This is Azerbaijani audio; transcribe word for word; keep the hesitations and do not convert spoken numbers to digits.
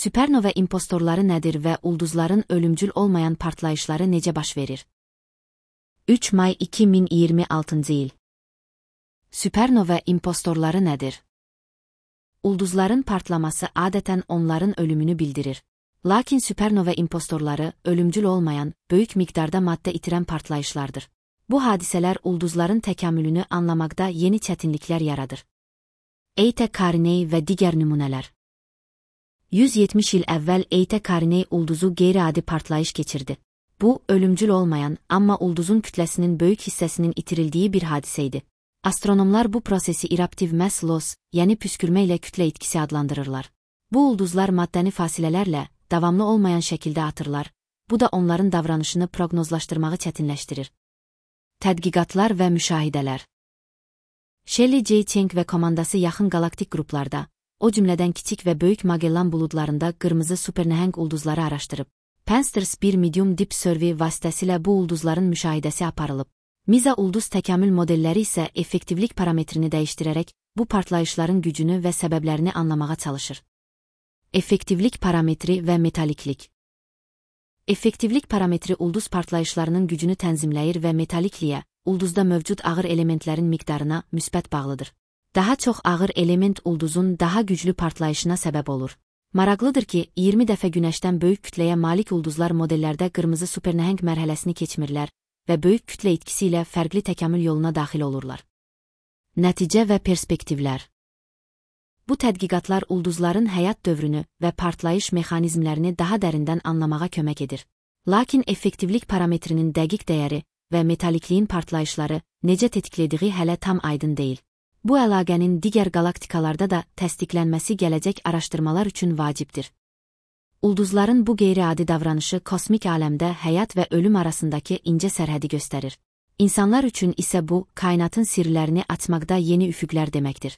Süpernova impostorları nədir və ulduzların ölümcül olmayan partlayışları necə baş verir? üç may iki min iyirmi altıncı il. Süpernova impostorları nədir? Ulduzların partlaması adətən onların ölümünü bildirir. Lakin süpernova impostorları ölümcül olmayan, böyük miqdarda maddə itirən partlayışlardır. Bu hadisələr ulduzların təkamülünü anlamaqda yeni çətinliklər yaradır. Eta Carinei və digər nümunələr. yüz yetmiş il əvvəl Eta Carinei ulduzu qeyri-adi partlayış keçirdi. Bu, ölümcül olmayan, amma ulduzun kütləsinin böyük hissəsinin itirildiyi bir hadisə idi. Astronomlar bu prosesi eruptiv mass loss, yəni püskürmə ilə kütlə itkisi adlandırırlar. Bu ulduzlar maddəni fasilələrlə, davamlı olmayan şəkildə atırlar, bu da onların davranışını proqnozlaşdırmağı çətinləşdirir. Tədqiqatlar və müşahidələr. Shelley J. Cheng və komandası yaxın qalaktik qruplarda, o cümlədən kiçik və böyük Magellan buludlarında qırmızı supernəhəng ulduzları araşdırıb. Pansters bir medium deep survey vasitəsilə bu ulduzların müşahidəsi aparılıb. Miza ulduz təkamül modelləri isə effektivlik parametrini dəyişdirərək bu partlayışların gücünü və səbəblərini anlamağa çalışır. Effektivlik parametri və metaliklik. Effektivlik parametri ulduz partlayışlarının gücünü tənzimləyir və metalikliyə, ulduzda mövcud ağır elementlərin miqdarına müsbət bağlıdır. Daha çox ağır element ulduzun daha güclü partlayışına səbəb olur. Maraqlıdır ki, iyirmi dəfə günəşdən böyük kütləyə malik ulduzlar modellərdə qırmızı supernəhəng mərhələsini keçmirlər və böyük kütlə itkisi ilə fərqli təkamül yoluna daxil olurlar. Nəticə və perspektivlər. Bu tədqiqatlar ulduzların həyat dövrünü və partlayış mexanizmlərini daha dərindən anlamağa kömək edir. Lakin effektivlik parametrinin dəqiq dəyəri və metalikliyin partlayışları necə tetiklediği hələ tam aydın deyil. Bu əlaqənin digər galaktikalarda da təsdiqlənməsi gələcək araşdırmalar üçün vacibdir. Ulduzların bu qeyri-adi davranışı kosmik aləmdə həyat və ölüm arasındakı incə sərhədi göstərir. İnsanlar üçün isə bu, kainatın sirlərini açmaqda yeni üfüqlər deməkdir.